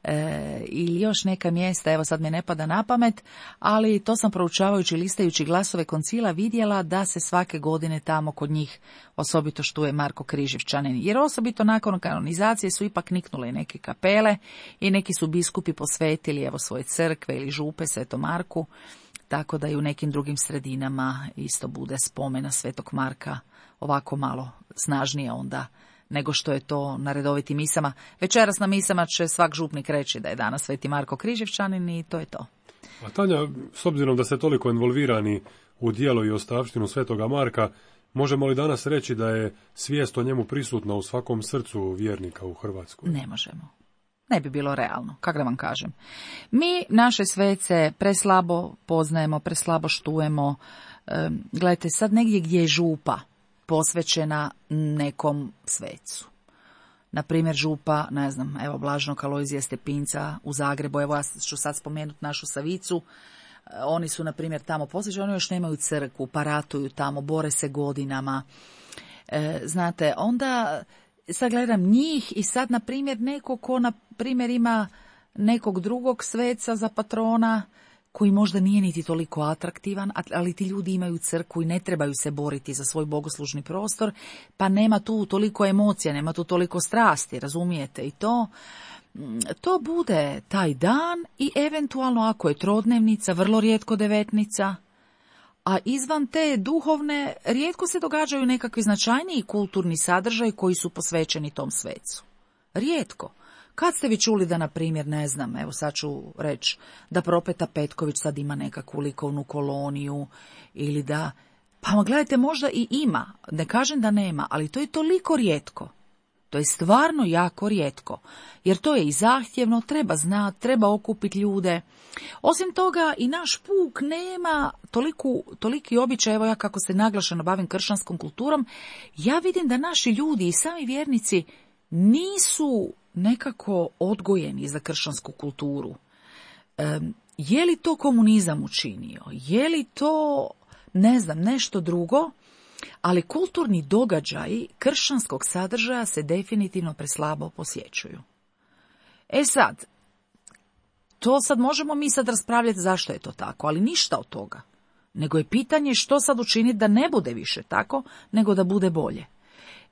e, ili još neka mjesta, evo sad me ne pada na pamet, ali to sam proučavajući, listajući glasove koncila vidjela da se svake godine tamo kod njih osobito štuje Marko Križevčanin, jer osobito nakon kanonizacije su ipak niknule neke kapele i neki su biskupi posvetili evo svoje crkve ili župe Svetom Marku, tako da i u nekim drugim sredinama isto bude spomena Svetog Marka ovako malo snažnije onda nego što je to na redovitim misama. Večeras na misama će svak župnik reći da je danas Sveti Marko Križevčanin i to je to. A Tanja, s obzirom da ste toliko involvirani u djelo i ostavštinu Svetoga Marka, možemo li danas reći da je svijest o njemu prisutna u svakom srcu vjernika u Hrvatskoj? Ne možemo. Ne bi bilo realno, kako da vam kažem. Mi naše svece preslabo poznajemo, preslabo štujemo. E, gledajte, sad negdje gdje je župa posvećena nekom svecu. Na primjer župa, ne znam, evo Blaženog Alojzija Stepinca u Zagrebu, evo ja ću sad spomenuti našu Savicu, oni su na primjer tamo posvećeni, oni još nemaju crkvu, pa ratuju tamo, bore se godinama. E, znate, onda sad gledam njih i sad na primjer neko ko na primjer ima nekog drugog sveca za patrona, koji možda nije niti toliko atraktivan, ali ti ljudi imaju crkvu i ne trebaju se boriti za svoj bogoslužni prostor, pa nema tu toliko emocija, nema tu toliko strasti, razumijete, i to, to bude taj dan i eventualno ako je trodnevnica, vrlo rijetko devetnica, a izvan te duhovne rijetko se događaju nekakvi značajniji kulturni sadržaj koji su posvećeni tom svecu. Rijetko. Kad ste vi čuli da, na primjer, ne znam, evo sad ću reći, da Propeta Petković sad ima nekakvu likovnu koloniju ili da, pa gledajte, možda i ima, ne kažem da nema, ali to je toliko rijetko. To je stvarno jako rijetko, jer to je i zahtjevno, treba znati, treba okupiti ljude. Osim toga, i naš puk nema toliku, toliki običaj, evo ja kako se naglašeno bavim kršćanskom kulturom, ja vidim da naši ljudi i sami vjernici nisu nekako odgojeni za kršćansku kulturu. E, je li to komunizam učinio? Je li to, ne znam, nešto drugo? Ali kulturni događaji kršćanskog sadržaja se definitivno preslabo posjećuju. E sad, to sad možemo mi sad raspravljati zašto je to tako, ali ništa od toga. Nego je pitanje što sad učiniti da ne bude više tako, nego da bude bolje.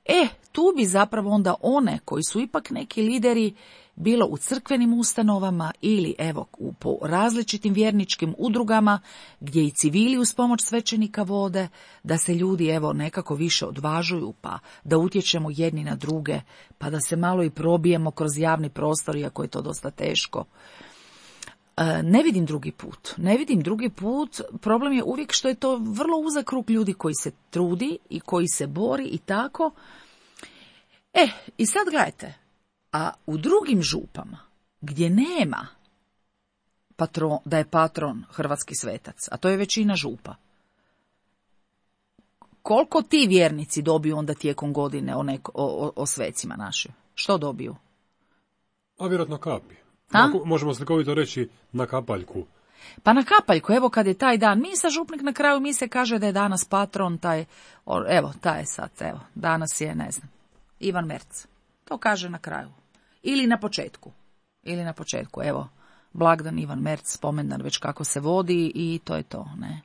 E, tu bi zapravo onda one koji su ipak neki lideri bilo u crkvenim ustanovama ili evo u, po različitim vjerničkim udrugama gdje i civili uz pomoć svećenika vode, da se ljudi evo nekako više odvažuju, pa da utječemo jedni na druge, pa da se malo i probijemo kroz javni prostor, iako je to dosta teško. Ne vidim drugi put. Ne vidim drugi put. Problem je uvijek što je to vrlo uzak krug ljudi koji se trudi i koji se bori i tako. E, i sad gledajte, a u drugim župama, gdje nema patron, da je patron hrvatski svetac, a to je većina župa, koliko ti vjernici dobiju onda tijekom godine o, neko, o, o svecima našim? Što dobiju? A vjerojatno kapi. A? Možemo slikovito reći na kapaljku. Pa na kapaljku, evo kad je taj dan misa, župnik na kraju mise kaže da je danas patron, taj, evo, taj je sad, evo, danas je, ne znam, Ivan Merc. To kaže na kraju. Ili na početku. Ili na početku, evo, blagdan Ivan Merc, spomendan već kako se vodi i to je to, ne.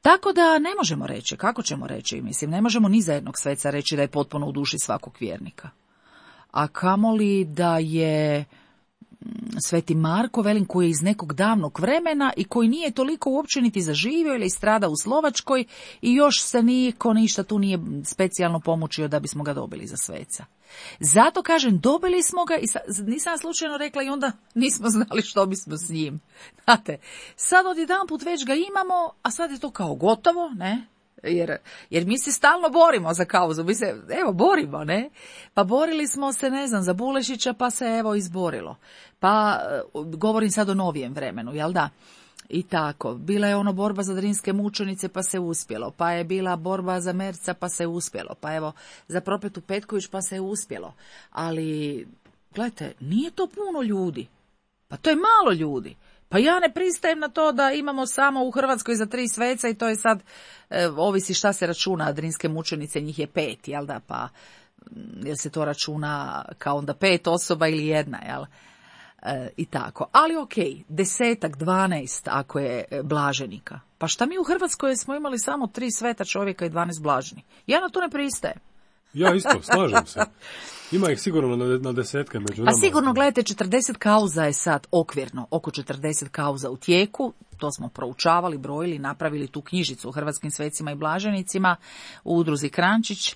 Tako da ne možemo reći, kako ćemo reći, mislim, ne možemo ni za jednog sveca reći da je potpuno u duši svakog vjernika. A kamoli da je Sveti Marko, velim, koji je iz nekog davnog vremena i koji nije toliko uopće niti zaživio ili strada u Slovačkoj i još se niko ništa tu nije specijalno pomučio da bismo ga dobili za sveca. Zato kažem, dobili smo ga i sa, nisam slučajno rekla i onda nismo znali što bismo s njim. Znate, sad odjedanput već ga imamo, a sad je to kao gotovo, ne? Jer, jer mi se stalno borimo za kauzu, mi se, evo, borimo, ne? Pa borili smo se, ne znam, za Bulešića, pa se, evo, izborilo. Pa, govorim sad o novijem vremenu, jel da? I tako, bila je ono borba za Drinske mučenice, pa se uspjelo. Pa je bila borba za Merca, pa se uspjelo. Pa evo, za Propetu Petković, pa se uspjelo. Ali, gledajte, nije to puno ljudi. Pa to je malo ljudi. Pa ja ne pristajem na to da imamo samo u Hrvatskoj za tri sveca i to je sad, e, ovisi šta se računa, Drinske mučenice, njih je pet, jel da, pa jel se to računa kao onda pet osoba ili jedna, jel, e, i tako. Ali okej, desetak, dvanaest ako je blaženika. Pa šta mi u Hrvatskoj smo imali samo tri sveta čovjeka i dvanaest blaženi? Ja na to ne pristajem. Ja isto, slažem se. Ima ih sigurno na, na desetke među nama. Pa sigurno, gledajte, četrdeset kauza je sad okvirno, oko četrdeset kauza u tijeku, to smo proučavali, brojili, napravili tu knjižicu o hrvatskim svecima i blaženicima u udruzi Krančić.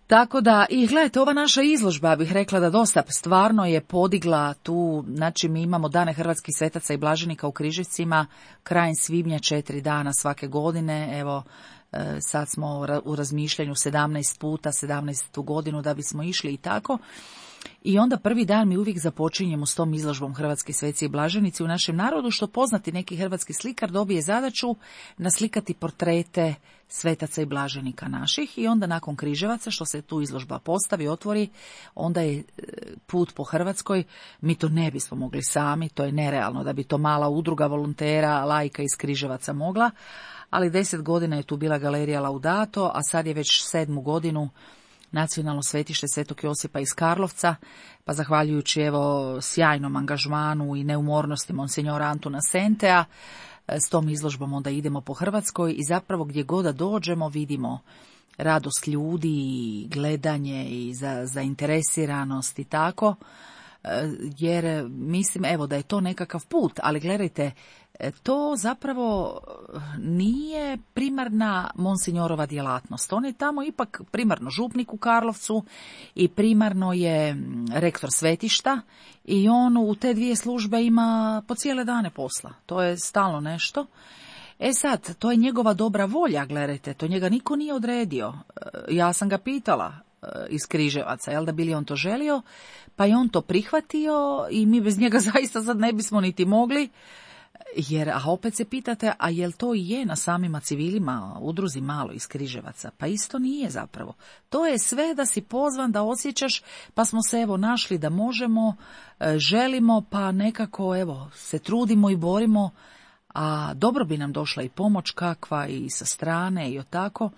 Tako da, i gledajte, ova naša izložba, bih rekla da dosta stvarno je podigla tu, znači mi imamo dane hrvatskih svetaca i blaženika u Križevcima, krajem svibnja, četiri dana svake godine, evo, sad smo u razmišljanju sedamnaest puta, sedamnaestu godinu da bismo išli i tako. I onda prvi dan mi uvijek započinjemo s tom izložbom Hrvatski sveci i blaženici u našem narodu, što poznati neki hrvatski slikar dobije zadaću naslikati portrete svetaca i blaženika naših i onda nakon Križevaca, što se tu izložba postavi, otvori, onda je put po Hrvatskoj. Mi to ne bismo mogli sami, to je nerealno da bi to mala udruga volontera, laika iz Križevaca mogla, ali deset godina je tu bila galerija Laudato, a sad je već sedmu godinu Nacionalno svetište Svetog Josipa iz Karlovca, pa zahvaljujući evo sjajnom angažmanu i neumornosti monsinjora Antuna Sentea, s tom izložbom onda idemo po Hrvatskoj i zapravo gdje god da dođemo vidimo radost ljudi, gledanje i za, zainteresiranost i tako, jer mislim evo da je to nekakav put, ali gledajte, to zapravo nije primarna monsinjorova djelatnost. On je tamo ipak primarno župnik u Karlovcu i primarno je rektor svetišta i on u te dvije službe ima po cijele dane posla. To je stalno nešto. E sad, to je njegova dobra volja, gledajte, to njega niko nije odredio. Ja sam ga pitala iz Križevaca, jel da bi li on to želio, pa je on to prihvatio i mi bez njega zaista sad ne bismo niti mogli. Jer, a opet se pitate, a jel to i je na samima civilima, udruzi malo iz Križevaca? Pa isto nije zapravo. To je sve da si pozvan, da osjećaš, pa smo se evo našli da možemo, želimo, pa nekako evo se trudimo i borimo, a dobro bi nam došla i pomoć kakva i sa strane i o tako.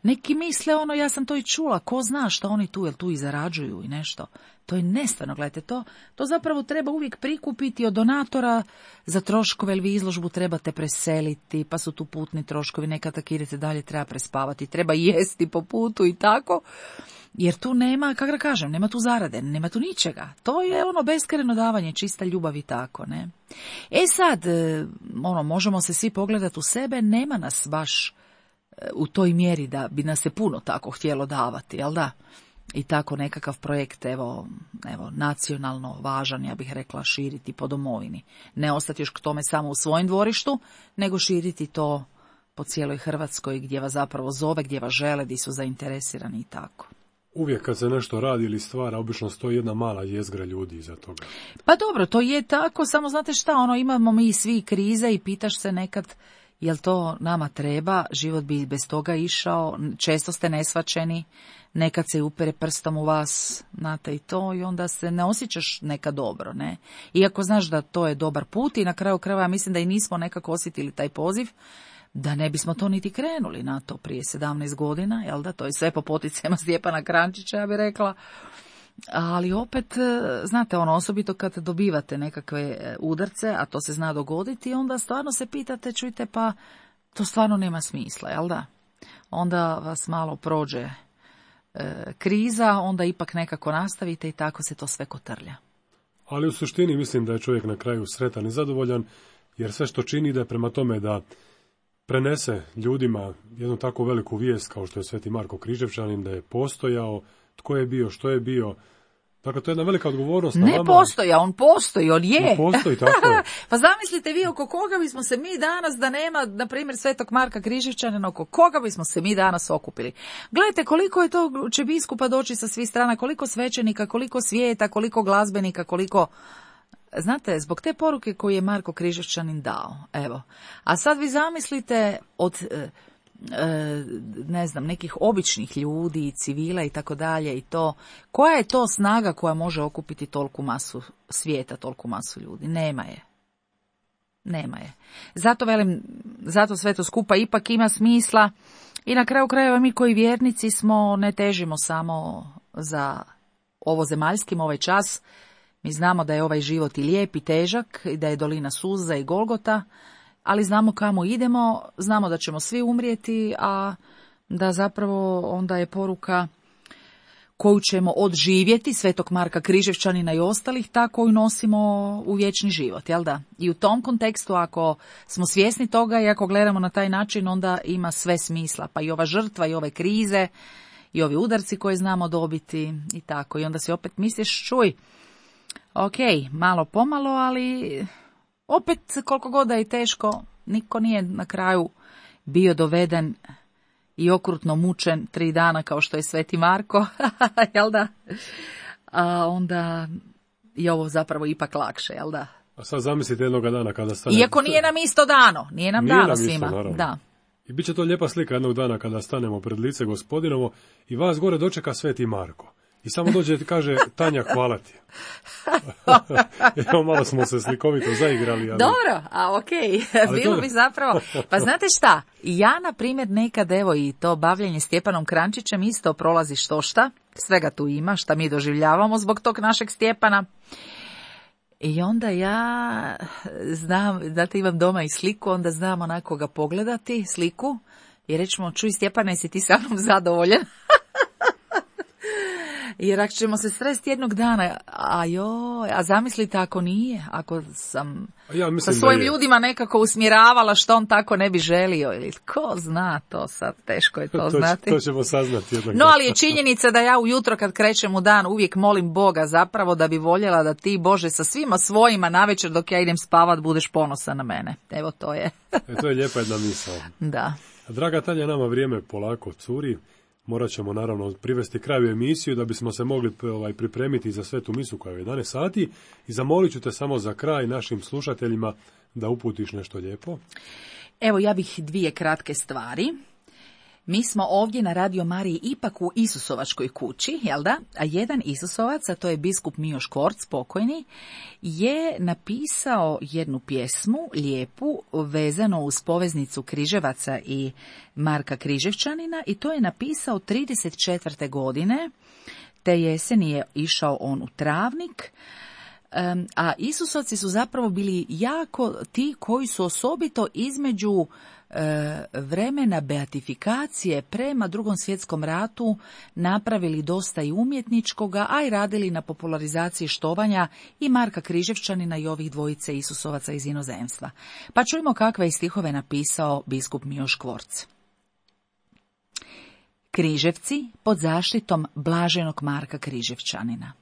Neki misle ono, ja sam to i čula, ko zna što oni tu, jel tu i zarađuju i nešto. To je nestvarno, gledajte, to, to zapravo treba uvijek prikupiti od donatora za troškove, jer vi izložbu trebate preseliti, pa su tu putni troškovi, nekad tak idete dalje, treba prespavati, treba jesti po putu i tako, jer tu nema, kako da kažem, nema tu zarade, nema tu ničega. To je ono beskrajno davanje, čista ljubav i tako, ne. E sad, ono, možemo se svi pogledati u sebe, nema nas baš u toj mjeri da bi nas se puno tako htjelo davati, jel da? I tako nekakav projekt, evo, evo, nacionalno važan, ja bih rekla, širiti po domovini. Ne ostati još k tome samo u svojem dvorištu, nego širiti to po cijeloj Hrvatskoj gdje vas zapravo zove, gdje vas žele, gdje su zainteresirani i tako. Uvijek kad se nešto radi ili stvara, obično stoji jedna mala jezgra ljudi iza toga. Pa dobro, to je tako, samo znate šta, ono, imamo mi svi krize i pitaš se nekad, jel to nama treba, život bi bez toga išao, često ste nesvačeni, nekad se upere prstom u vas, znate i to, i onda se ne osjećaš nekad dobro, ne. Iako znaš da to je dobar put i na kraju krajeva ja mislim da i nismo nekako osjetili taj poziv, da ne bismo to niti krenuli na to prije sedamnaest godina, jel da, to je sve po poticajima Stjepana Krančića, ja bih rekla. Ali opet, znate, ono, osobito kad dobivate nekakve udarce, a to se zna dogoditi, onda stvarno se pitate, čujte, pa to stvarno nema smisla, jel da? Onda vas malo prođe e, kriza, onda ipak nekako nastavite i tako se to sve kotrlja. Ali u suštini mislim da je čovjek na kraju sretan i zadovoljan, jer sve što čini ide prema tome da prenese ljudima jednu tako veliku vijest kao što je Sveti Marko Križevčanin, da je postojao, tko je bio, što je bio. Dakle, to je jedna velika odgovornost na ne vama. Postoja, on postoji, on je. On postoji, tako je. Pa zamislite vi oko koga bismo se mi danas, da nema, na primjer, Svetog Marka Križevčanina, oko koga bismo se mi danas okupili. Gledajte koliko je to, će biskupa doći sa svih strana, koliko svećenika, koliko svijeta, koliko glazbenika, koliko... Znate, zbog te poruke koju je Marko Križevčanin dao, evo. A sad vi zamislite od... E, ne znam, nekih običnih ljudi, civila i tako dalje i to, koja je to snaga koja može okupiti toliku masu svijeta, toliku masu ljudi? Nema je. Nema je. Zato velim, zato sve to skupa ipak ima smisla i na kraju krajeva mi koji vjernici smo, ne težimo samo za ovo zemaljskim, ovaj čas. Mi znamo da je ovaj život i lijep i težak i da je dolina suza i Golgota, ali znamo kamo idemo, znamo da ćemo svi umrijeti, a da zapravo onda je poruka koju ćemo odživjeti, Svetog Marka Križevčanina i ostalih, ta koju nosimo u vječni život, jel da? I u tom kontekstu, ako smo svjesni toga i ako gledamo na taj način, onda ima sve smisla, pa i ova žrtva i ove krize i ovi udarci koje znamo dobiti i tako. I onda si opet misliš, čuj, ok, malo pomalo, ali... Opet, koliko god da je teško, niko nije na kraju bio doveden i okrutno mučen tri dana kao što je Sveti Marko, jel da? A onda je ovo zapravo ipak lakše, jel da? A sad zamislite jednoga dana kada stane... Iako nije nam isto dano, nije nam nije dano nam svima. Isto, da. I bit će to lijepa slika jednog dana kada stanemo pred lice Gospodinovo i vas gore dočeka Sveti Marko. I samo dođe i kaže, Tanja, hvala ti. Evo, malo smo se slikovito zaigrali. Ali... Dobro, a okej, okay. Bilo to... bi zapravo... Pa znate šta, ja, na primjer, nekad, evo, i to bavljenje Stjepanom Krančićem isto prolazi štošta, svega tu ima, šta mi doživljavamo zbog tog našeg Stjepana. I onda ja znam, znate, imam doma i sliku, onda znam onako ga pogledati, sliku, i rećemo, čuj Stjepane, si ti sa mnom zadovoljan? Jer ako ćemo se sresti jednog dana, a joj, a zamislite ako nije, ako sam ja sa svojim ljudima nekako usmjeravala što on tako ne bi želio, ili ko zna to sad, teško je to, to znati. To ćemo saznati jednog No, ali je činjenica da ja ujutro kad krećem u dan uvijek molim Boga zapravo da bi voljela da ti, Bože, sa svima svojima navečer dok ja idem spavat budeš ponosan na mene. Evo to je. E, to je lijepa jedna misao. Da. Draga Tanja, nama vrijeme polako curi. Morat ćemo naravno privesti kraju emisiju da bismo se mogli ovaj, pripremiti za svetu misu koja je jedanaest sati i zamolit ću te samo za kraj našim slušateljima da uputiš nešto lijepo. Evo, ja bih dvije kratke stvari. Mi smo ovdje na Radio Mariji ipak u Isusovačkoj kući, jel da? A jedan Isusovac, a to je biskup Mijo Škvorc, pokojni, je napisao jednu pjesmu, lijepu, vezano uz poveznicu Križevaca i Marka Križevčanina, i to je napisao trideset četvrte godine, te jeseni je išao on u Travnik. Um, a Isusovci su zapravo bili jako ti koji su osobito između e, vremena beatifikacije prema Drugom svjetskom ratu napravili dosta i umjetničkoga, a i radili na popularizaciji štovanja i Marka Križevčanina i ovih dvojice Isusovaca iz inozemstva. Pa čujmo kakve je stihove napisao biskup Mijo Škvorc. Križevci pod zaštitom blaženog Marka Križevčanina.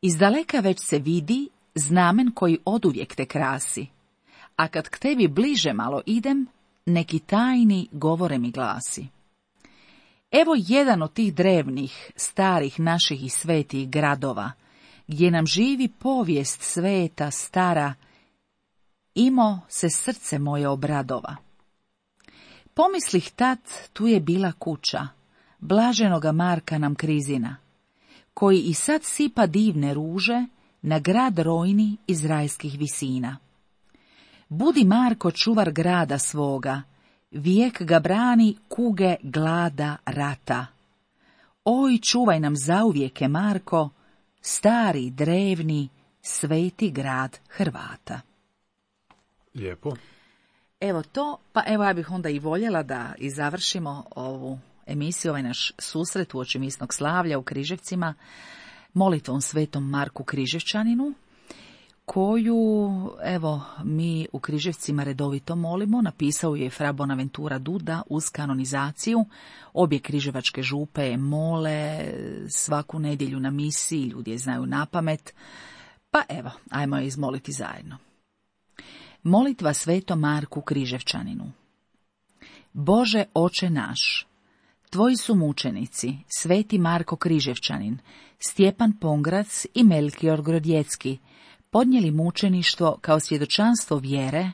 Izdaleka već se vidi znamen koji oduvijek te krasi, a kad k tebi bliže malo idem, neki tajni govore mi glasi. Evo jedan od tih drevnih, starih naših i svetih gradova, gdje nam živi povijest sveta stara, imo se srce moje obradova. Pomislih tad, tu je bila kuća, blaženoga Marka nam Krizina, koji i sad sipa divne ruže na grad rojni iz rajskih visina. Budi Marko čuvar grada svoga, vijek ga brani kuge glada rata. Oj, čuvaj nam zauvijeke, Marko, stari, drevni, sveti grad Hrvata. Lijepo. Evo to, pa evo ja bih onda i voljela da i završimo ovu emisiju, ovaj naš susret uoči misnog slavlja u Križevcima, molitvom svetom Marku Križevčaninu, koju, evo, mi u Križevcima redovito molimo. Napisao je fra Bonaventura Duda uz kanonizaciju. Obje križevačke župe je mole svaku nedjelju na misiji, ljudi je znaju napamet. Pa evo, ajmo je izmoliti zajedno. Molitva svetom Marku Križevčaninu. Bože oče naš, tvoji su mučenici, sveti Marko Križevčanin, Stjepan Pongrac i Melkior Grodjecki, podnijeli mučeništvo kao svjedočanstvo vjere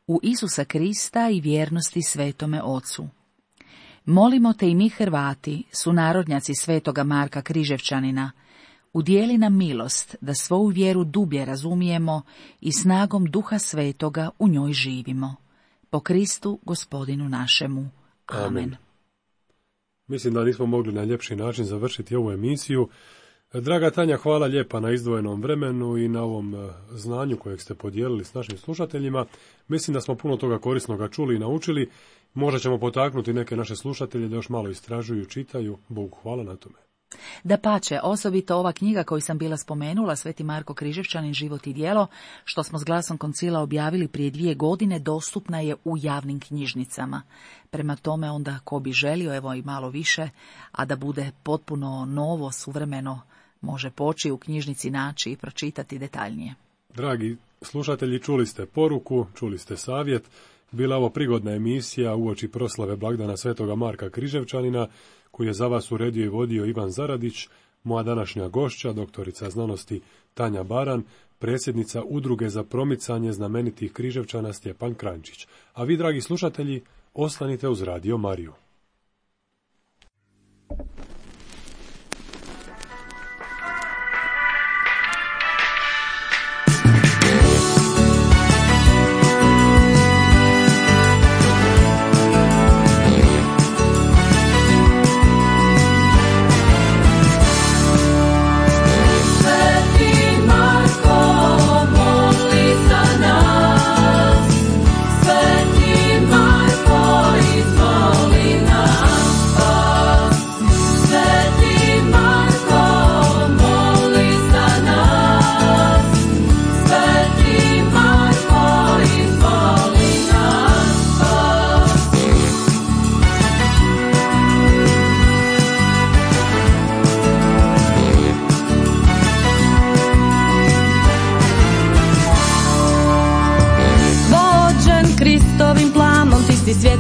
u Isusa Krista i vjernosti svetome Ocu. Molimo te i mi Hrvati, sunarodnjaci svetoga Marka Križevčanina, udijeli nam milost da svoju vjeru dublje razumijemo i snagom Duha Svetoga u njoj živimo. Po Kristu Gospodinu našemu. Amen. Amen. Mislim da nismo mogli na ljepši način završiti ovu emisiju. Draga Tanja, hvala lijepa na izdvojenom vremenu i na ovom znanju kojeg ste podijelili s našim slušateljima. Mislim da smo puno toga korisnoga čuli i naučili. Možda ćemo potaknuti neke naše slušatelje da još malo istražuju, čitaju. Bogu hvala na tome. Dapače, osobito ova knjiga koju sam bila spomenula, Sveti Marko Križevčanin, život i djelo, što smo s glasom koncila objavili prije dvije godine, dostupna je u javnim knjižnicama. Prema tome onda ko bi želio, evo i malo više, a da bude potpuno novo, suvremeno, može poći u knjižnici naći i pročitati detaljnije. Dragi slušatelji, čuli ste poruku, čuli ste savjet. Bila ovo prigodna emisija uoči proslave blagdana svetoga Marka Križevčanina, koju je za vas uredio i vodio Ivan Zaradić, moja današnja gošća, doktorica znanosti Tanja Baran, predsjednica Udruge za promicanje znamenitih Križevčana Stjepan Kranjčić. A vi, dragi slušatelji, ostanite uz Radio Mariju.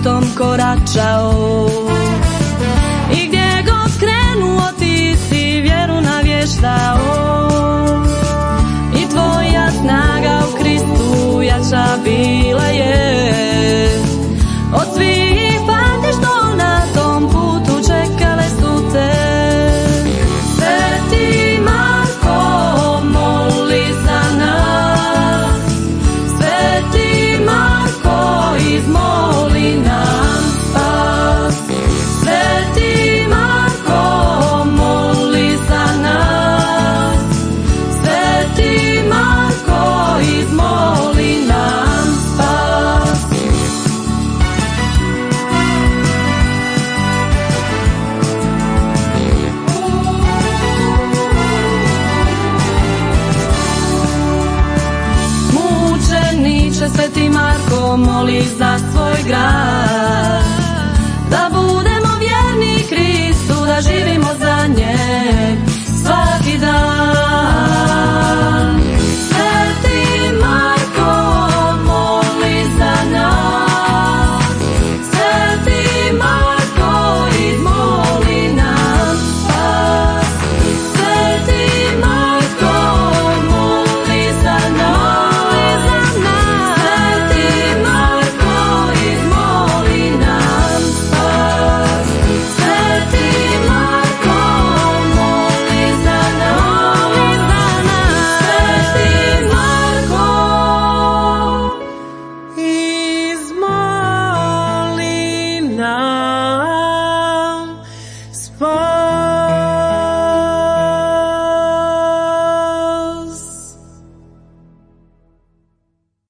Svijetom koračao i gdje god krenuo ti si vjeru navještao i tvoja snaga u Kristu jača bila je.